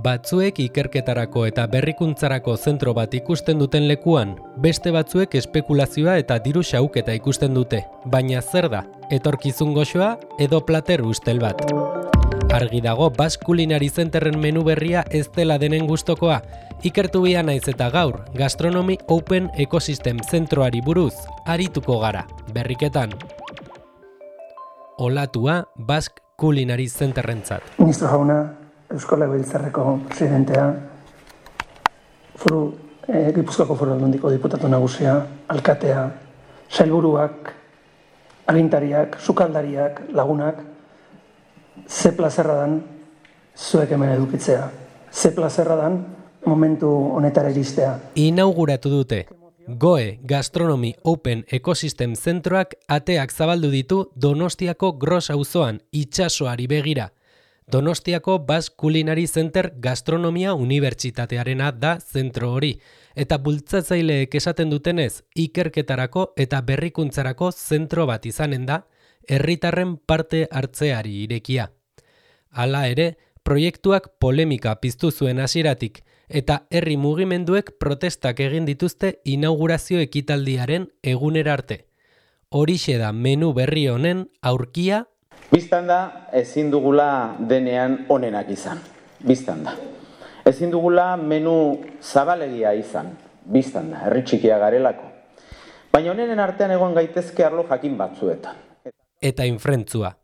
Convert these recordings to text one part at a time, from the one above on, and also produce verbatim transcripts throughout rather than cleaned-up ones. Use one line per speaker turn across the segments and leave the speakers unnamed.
Batzuek ikerketarako eta berrikuntzarako zentro bat ikusten duten lekuan, beste batzuek espekulazioa eta diru xahuketa ikusten dute. Baina zer da, etorkizun goxoa edo plater ustel bat? Argi dago Basque Culinary Centerren menu berria ez dela denen gustokoa. Ikertu bia naiz eta gaur, Gastronomy Open Ecosystem zentroari buruz, arituko gara, berriketan. Olatua Basque Culinary Centerrentzat.
Ministro jauna, Eusko Legebiltzarreko presidentea, foru, eh, Gipuzkoako Foru Aldundiko diputatu nagusia, alkatea, sailburuak, agintariak, sukaldariak, lagunak, ze plazerra dan zuek hemen edukitzea. Ze plazerra dan momentu honetara iristea.
Inauguratu dute. Goe Gastronomy Open Ecosystem zentroak ateak zabaldu ditu Donostiako Gros auzoan, itsasoari begira. Donostiako Basque Culinary Center Gastronomia Unibertsitatearena da zentro hori, eta bultzatzaileek esaten dutenez, ikerketarako eta berrikuntzarako zentro bat izanen da, herritarren parte hartzeari irekia. Hala ere, proiektuak polemika piztu zuen hasieratik, eta herri mugimenduek protestak egin dituzte inaugurazio ekitaldiaren egunera arte. Horixe da menu berri honen aurkia.
Bistan da, ezin dugula denean onenak izan. Bistan da. Ezin dugula menu zabalegia izan. Bistan da, herri txikia garelako. Baina honenen artean egon gaitezke arlo jakin batzuetan.
Eta infrentzua.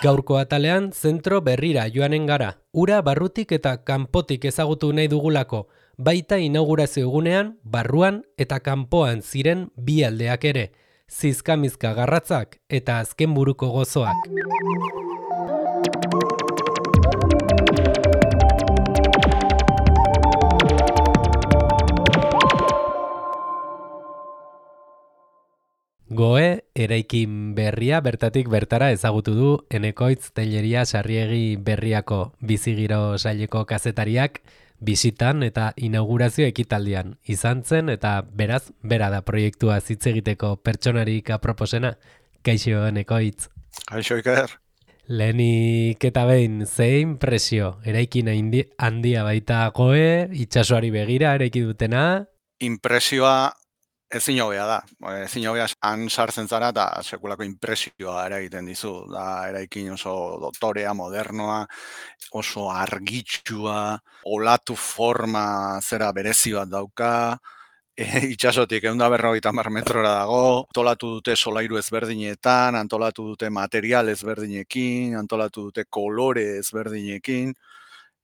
Gaurko atalean zentro berrira joanen gara, ura barrutik eta kanpotik ezagutu nahi dugulako, baita inaugurazio egunean, barruan eta kanpoan ziren bi aldeak ere, zizkamizka garratzak eta azken buruko gozoak. Goe, eraikin berria bertatik bertara ezagutu du Enekoitz Telleria Sarriegi Berriako bizigiro saileko kazetariak bisitan eta inaugurazio ekitaldian izan zen eta beraz, bera da proiektua hitz egiteko pertsonarik aproposena. Kaixo Enekoitz.
Kaixo Iker.
Lehenik eta behin, ze impresio? Eraikin handia baita Goe, itsasoari begira eraiki dutena?
Impresioa ezin hobea da. Ezin hobea han sartzen zara eta sekulako impresioa eragiten dizu. Da eraikin oso dotorea, modernoa, oso argitsua, olatu forma zera berezi bat dauka, e, itsasotik ehun eta berrogeita hamar metrora dago, antolatu dute solairu ezberdinetan, antolatu dute material ezberdinekin, antolatu dute kolore ezberdinekin.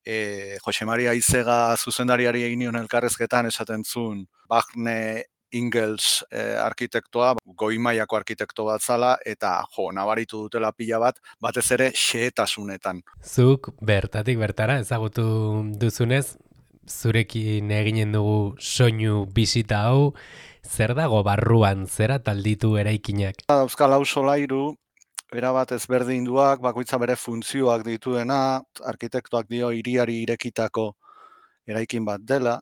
E, Jose Maria Izega zuzendariari egin nion elkarrezketan esaten zuen Bagne Ingels eh, arkitektoa, goi mailako arkitekto bat zala, eta jo, nabaritu dutela pila bat, batez ere xehetasunetan.
Zuk bertatik bertara ezagutu duzunez, zurekin eginen dugu soinu bisita hau, zer dago barruan, zera talditu eraikinak?
Euskal hau solairu, erabat ezberdinduak, bakoitza bere funtzioak dituena, arkitektoak dio hiriari irekitako eraikin bat dela,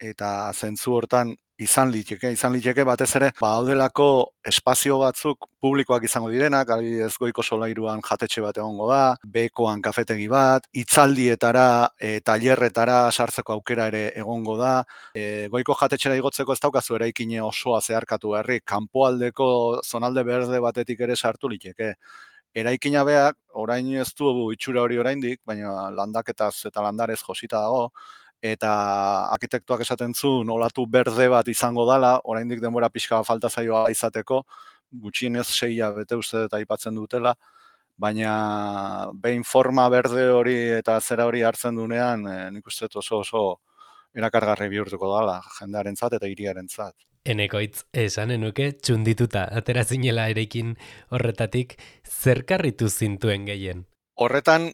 eta zentzu hortan izan liteke, izan liteke batez ere badaudelako espazio batzuk publikoak izango direnak, adibidez Goiko solairuan jatetxe bat egongo da, Bekoan kafetegi bat, hitzaldietara, e, tailerretara sartzeko aukera ere egongo da, e, Goiko jatetxera igotzeko ez daukazu eraikine osoa zeharkatu berri, kanpoaldeko zonalde berde batetik ere sartu liteke. Eraikina beak, orain ez du itxura hori oraindik, baina landaketaz eta landarez josita dago, eta arkitektoak esaten zuen olatu berde bat izango dala, oraindik denbora pixka falta zaioa izateko, gutxienez seia bete uste eta aipatzen dutela, baina behin forma berde hori eta zera hori hartzen dunean, e, nik uste oso oso erakargarri bihurtuko dala, jendearentzat eta hiriarentzat.
Enekoitz, esan enuke txundituta, atera zinela erekin horretatik, zer karritu zintuen gehien?
Horretan,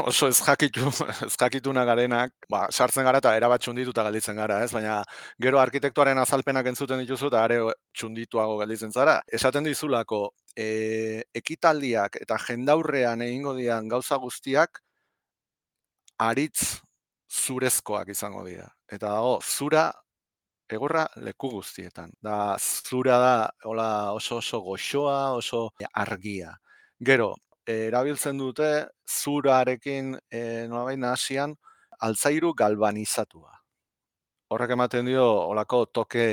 oso ez jakitu, ez jakituna garenak, ba, sartzen gara eta erabat txundituta galditzen gara, ez? Baina gero arkitektuaren azalpenak entzuten dituzu eta are txundituago galditzen zara. Esaten dizulako, e, ekitaldiak eta jendaurrean egingo dian gauza guztiak aritz zurezkoak izango dira. Eta dago, zura egorra leku guztietan. Da, zura da hola, oso oso goxoa, oso argia. Gero, erabiltzen dute zurarekin e, nolabait nahasian altzairu galvanizatua. Horrek ematen dio olako toke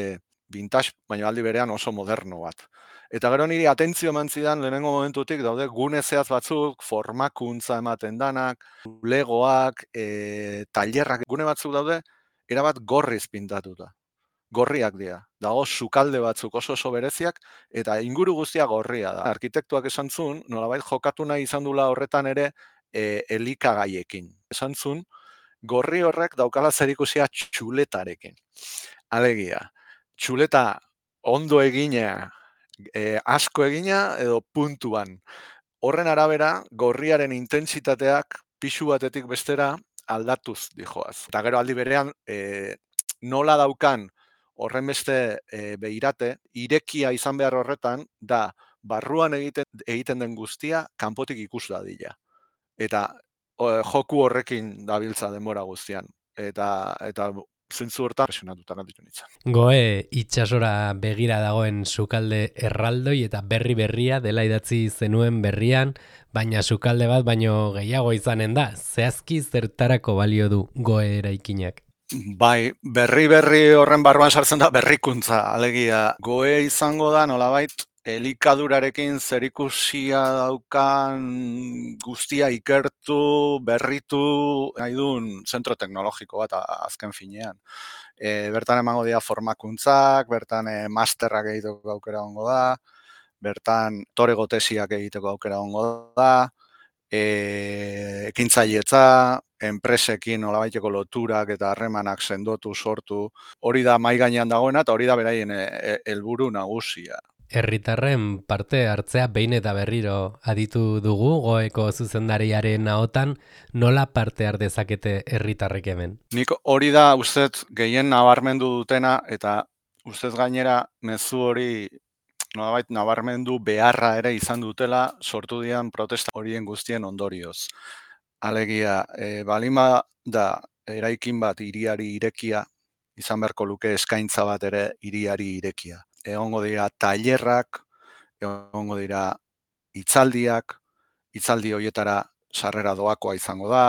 vintage, baina aldi berean oso moderno bat. Eta gero niri atentzio eman zidan lehenengo momentutik daude gune zehatz batzuk, formakuntza ematen danak, legoak, e, tailerrak, gune batzuk daude, erabat gorriz pintatuta. Gorriak dira. Dago sukalde batzuk oso oso bereziak, eta inguru guztia gorria da. Arkitektuak esan zuen, nolabait jokatu nahi izan dula horretan ere e, elikagaiekin. Esan zuen, gorri horrek daukala zerikusia txuletarekin. Alegia, txuleta ondo egina, e, asko egina edo puntuan. Horren arabera, gorriaren intentsitateak pixu batetik bestera aldatuz dijoaz. Eta gero aldi berean, e, nola daukan horren beste e, behirate, irekia izan behar horretan, da barruan egiten, egiten den guztia kanpotik ikus dadila. Eta o, joku horrekin dabiltza denbora guztian. Eta, eta zentzu hortan presionatuta ditu nintzen.
Goe itsasora begira dagoen sukalde erraldoi eta berri berria dela idatzi zenuen berrian, baina sukalde bat baino gehiago izanen da. Zehazki zertarako balio du goe eraikinak?
Bai, berri berri horren barruan sartzen da berrikuntza, alegia. Goe izango da nolabait elikadurarekin zerikusia daukan guztia ikertu, berritu, nahi duen zentro teknologiko bat azken finean. E, bertan emango dira formakuntzak, bertan e, masterrak egiteko aukera ongo da, bertan torego tesiak egiteko aukera ongo da, e, ekintzailetza, enpresekin nolabaiteko loturak eta harremanak sendotu, sortu, hori da mahai gainean dagoena eta hori da beraien helburu nagusia.
Herritarren parte hartzea behin eta berriro aditu dugu goeko zuzendariaren ahotan, nola parte har dezakete herritarrek hemen?
Nik hori da ustez gehien nabarmendu dutena eta ustez gainera mezu hori nolabait nabarmendu beharra ere izan dutela sortu dian protesta horien guztien ondorioz. Alegia, e, balima da eraikin bat hiriari irekia, izan beharko luke eskaintza bat ere hiriari irekia. Egongo dira tailerrak, egongo dira hitzaldiak, hitzaldi horietara sarrera doakoa izango da,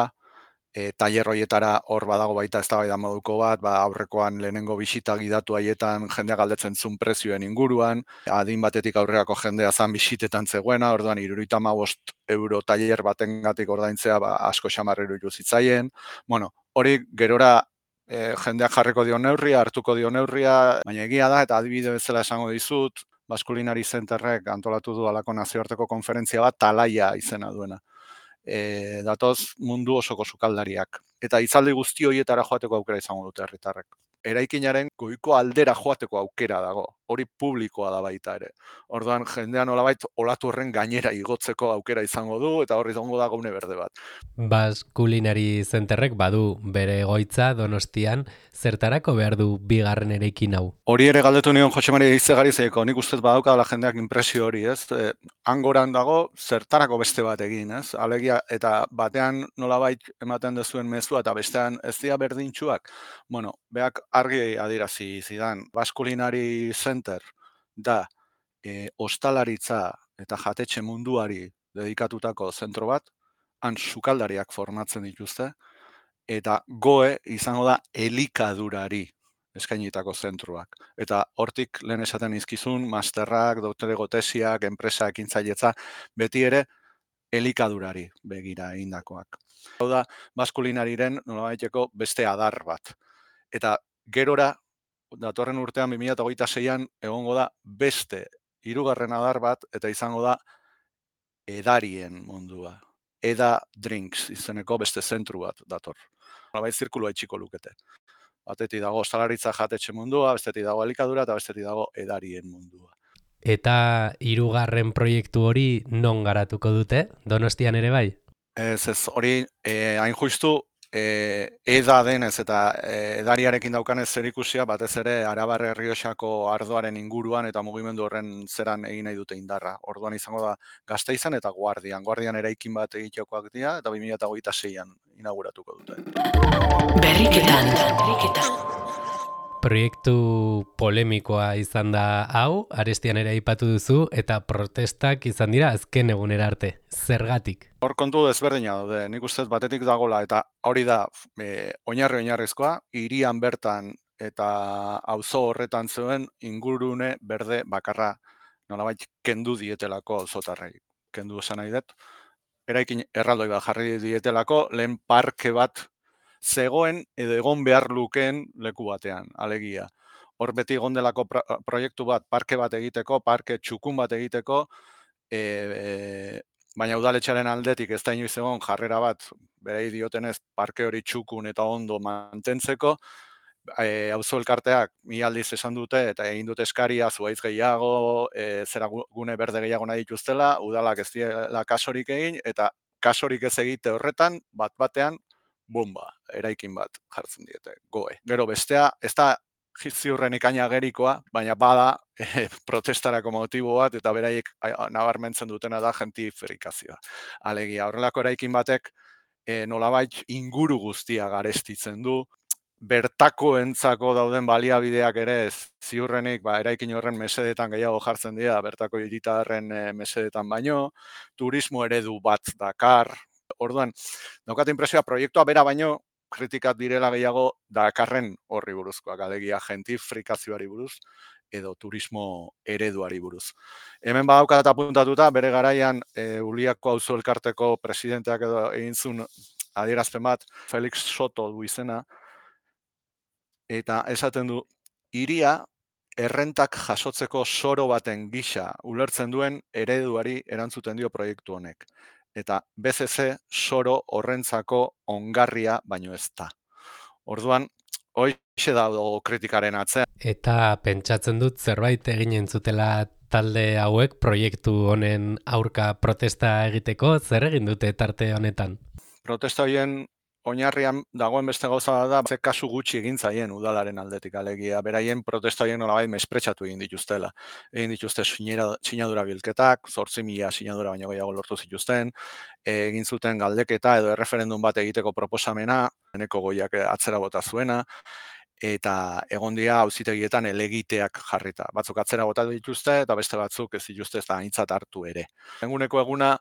e, tailer horietara hor badago baita eztabaida moduko bat, ba, aurrekoan lehenengo bisita gidatu haietan jendea galdetzen zuen prezioen inguruan, adin batetik aurreako jendea zan bisitetan zegoena, orduan hirurogeita hamabost euro tailer batengatik ordaintzea ba, asko xamar iruditu zitzaien. Bueno, hori gerora e, jendeak jarriko dio neurria, hartuko dio neurria, baina egia da eta adibide bezala esango dizut, Baskulinari Zenterrek antolatu du alako nazioarteko konferentzia bat Talaia izena duena. E, datoz mundu osoko sukaldariak. Eta hitzaldi guzti horietara joateko aukera izango dute herritarrek. Eraikinaren goiko aldera joateko aukera dago. Hori publikoa da baita ere. Orduan jendean nolabait olatu horren gainera igotzeko aukera izango du eta horri izango da gune berde bat.
Baskulinari Zenterrek badu bere egoitza Donostian, zertarako behar du bigarren eraikin hau?
Hori ere galdetu nion Jose Maria Izegari zeiko, nik ustez badauka la jendeak impresio hori, ez? E, hangoran dago zertarako beste bat egin, ez? Alegia eta batean nolabait ematen dezuen mezua eta bestean ez dira berdintsuak. Bueno, beak argi adierazi zidan, Baskulinari Center da e, ostalaritza eta jatetxe munduari dedikatutako zentro bat, han sukaldariak formatzen dituzte, eta goe izango da elikadurari eskainitako zentroak. Eta hortik lehen esaten izkizun, masterrak, doktorego tesiak, enpresa ekintzailetza, beti ere elikadurari begira egindakoak. Hau da, Baskulinariren nolabaiteko beste adar bat. Eta gerora, datorren urtean bi mila hogeita seian egongo da beste hirugarren adar bat, eta izango da edarien mundua. Eda Drinks izeneko beste zentru bat dator. Nolabait zirkulua itxiko lukete. Batetik dago ostalaritza jatetxe mundua, bestetik dago elikadura eta bestetik dago edarien mundua.
Eta hirugarren proiektu hori non garatuko dute? Donostian ere bai?
Ez, ez, hori eh, hain justu eh, eda denez eta eh, edariarekin daukanez zerikusia batez ere Arabar Errioxako ardoaren inguruan eta mugimendu horren zeran egin nahi dute indarra. Orduan izango da Gasteizan eta Guardian. Guardian eraikin bat egitekoak dira eta bi mila hogeita seian inauguratuko dute.
Berriketan. Berriketan. Proiektu polemikoa izan da hau, arestian ere aipatu duzu, eta protestak izan dira azken egunera arte. Zergatik?
Hor kontu desberdina daude, nik ustez batetik dagola, eta hori da e, oinarri oinarrizkoa, hirian bertan eta auzo horretan zuen ingurune berde bakarra nolabait kendu dietelako auzotarrei. Kendu esan nahi dut, eraikin erraldoi bat jarri dietelako, lehen parke bat zegoen edo egon behar lukeen leku batean, alegia. Hor beti egon delako pro proiektu bat, parke bat egiteko, parke txukun bat egiteko, e, e, baina udaletxearen aldetik ez da inoiz egon jarrera bat, berei diotenez, parke hori txukun eta ondo mantentzeko, e, auzo elkarteak mi aldiz esan dute eta egin dute eskaria zuhaitz gehiago, e, zera gune berde gehiago nahi dituztela, udalak ez diela kasorik egin, eta kasorik ez egite horretan, bat batean, bomba, eraikin bat jartzen diete, goe. Gero bestea, ez da ziurrenik ainagerikoa, baina bada e, protestarako motibo bat, eta beraiek nabarmentzen dutena da gentrifikazioa. Alegia, horrelako eraikin batek e, nolabait inguru guztia garestitzen du, bertakoentzako dauden baliabideak ere ez ziurrenik ba, eraikin horren mesedetan gehiago jartzen dira, bertako hiritarren e, mesedetan baino, turismo eredu bat dakar. Orduan, daukat inpresioa proiektua bera baino kritikat direla gehiago dakarren horri buruzkoak, alegia gentrifikazioari buruz edo turismo ereduari buruz. Hemen badaukat apuntatuta, bere garaian e, Uliako auzo elkarteko presidenteak edo egin zuen adierazpen bat, Felix Soto du izena, eta esaten du, hiria errentak jasotzeko soro baten gisa ulertzen duen ereduari erantzuten dio proiektu honek. Eta B C C soro horrentzako ongarria baino ez da. Orduan, hoixe dago kritikaren atzean.
Eta pentsatzen dut zerbait egin entzutela talde hauek proiektu honen aurka protesta egiteko, zer egin dute tarte honetan?
Protesta horien oinarrian dagoen beste gauza da, ze kasu gutxi egin zaien udalaren aldetik, alegia, beraien protesta horien nolabait mespretsatu egin dituztela. Egin dituzte sinadura bilketak, zortzi mila sinadura baino gehiago lortu zituzten, egin zuten galdeketa edo erreferendum bat egiteko proposamena, eneko goiak atzera bota zuena, eta egon dira auzitegietan helegiteak jarrita. Batzuk atzera bota dituzte eta beste batzuk ez dituzte ez da aintzat hartu ere. Eguneko eguna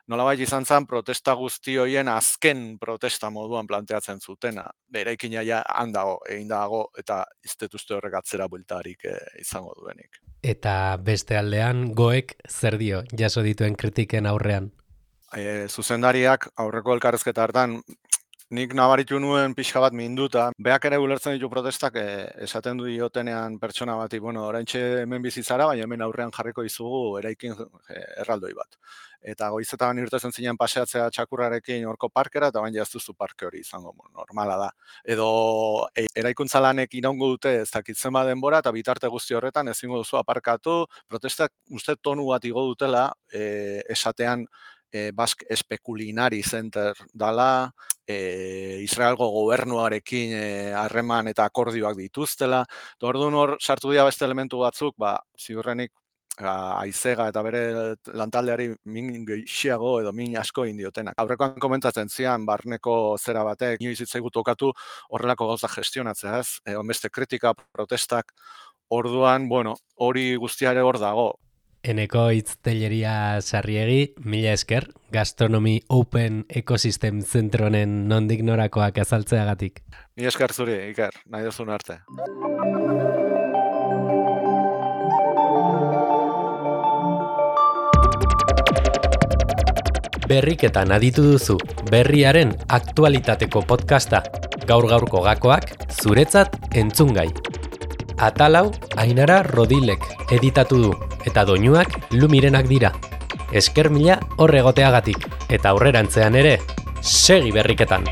nolabait izan zen protesta guzti horien azken protesta moduan planteatzen zutena. Eraikina ja handago, egin dago, eta ez dut uste horrek atzera bueltarik eh, izango duenik.
Eta beste aldean, goek zer dio jaso dituen kritiken aurrean?
E, zuzendariak aurreko elkarrezketa hartan, nik nabaritu nuen pixka bat minduta, beak ere ulertzen ditu protestak e, esaten du diotenean pertsona bati, bueno, oraintxe hemen bizitzara, baina hemen aurrean jarriko izugu eraikin e, erraldoi bat. Eta goizetan irtetzen zinen paseatzea txakurrarekin horko parkera, eta baina ez duzu parke hori izango, normala da. Edo e, eraikuntza lanek iraungo dute ez dakitzen ba denbora, eta bitarte guzti horretan ezingo duzu aparkatu, protestak uste tonu bat igo dutela, e, esatean e, Basque Especulinari Center dala, e, Israelgo gobernuarekin harreman e, eta akordioak dituztela. Orduan hor sartu dira beste elementu batzuk, ba, ziurrenik Aizega eta bere lantaldeari min gehiago edo min asko indiotenak. Aurrekoan komentatzen zian, barneko zera batek, inoiz hitzaigu tokatu horrelako gauza gestionatzea, ez? E, beste kritika, protestak, orduan, bueno, hori guztiare hor dago.
Eneko Itztelleria Sarriegi, mila esker, Gastronomy Open Ecosystem Zentro honen nondik norakoak azaltzeagatik.
Mila esker zuri, Iker, nahi duzun arte.
Berriketan aditu duzu, berriaren aktualitateko podcasta, gaur-gaurko gakoak, zuretzat entzungai. Atalau, Ainara Rodilek editatu du, eta doinuak Lumirenak dira. Esker mila horregoteagatik, eta aurrerantzean ere, segi berriketan!